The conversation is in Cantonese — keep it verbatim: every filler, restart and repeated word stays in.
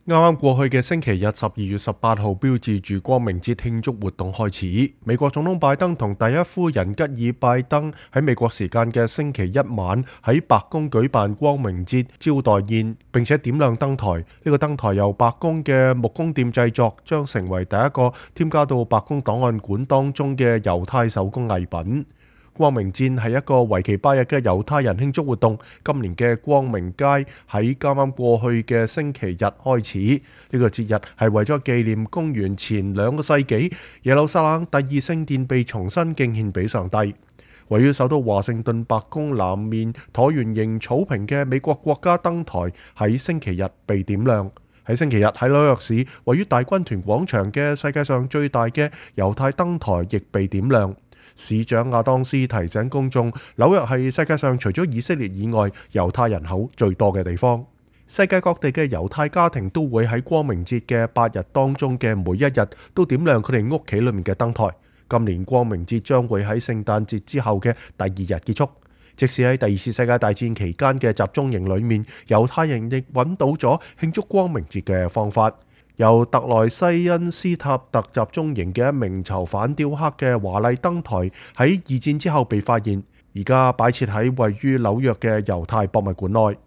啱啱過去嘅星期日，十二月十八號，標誌住光明節慶祝活動開始。美國總統拜登同第一夫人吉爾拜登喺美國時間嘅星期一晚喺白宮舉辦光明節招待宴，並且點亮燈台。呢、這個燈台由白宮嘅木工店製作，將成為第一個添加到白宮檔案館當中嘅猶太手工藝品。光明節係一個為期八日嘅猶太人慶祝活動。今年嘅光明街喺啱啱過去嘅星期日開始。呢、這個節日係為咗紀念公元前兩個世紀耶路撒冷第二聖殿被重新敬獻俾上帝。位於首都華盛頓白宮南面橢圓形草坪嘅美國國家燈台喺星期日被點亮。喺星期日喺紐約市位於大軍團廣場嘅世界上最大嘅猶太燈台亦被點亮。市長亞當斯提醒公眾，紐約係世界上除咗以色列以外猶太人口最多嘅地方。世界各地嘅猶太家庭都會喺光明節嘅八日當中嘅每一日都點亮佢哋屋企裏面嘅燈台。今年光明節將會喺聖誕節之後嘅第二日結束。即使喺第二次世界大戰期間嘅集中營裏面，猶太人亦揾到咗慶祝光明節嘅方法。由特萊西恩斯塔特集中營嘅一名囚犯雕刻嘅華麗燈台喺二戰之後被發現，而家擺設喺位於紐約嘅猶太博物館內。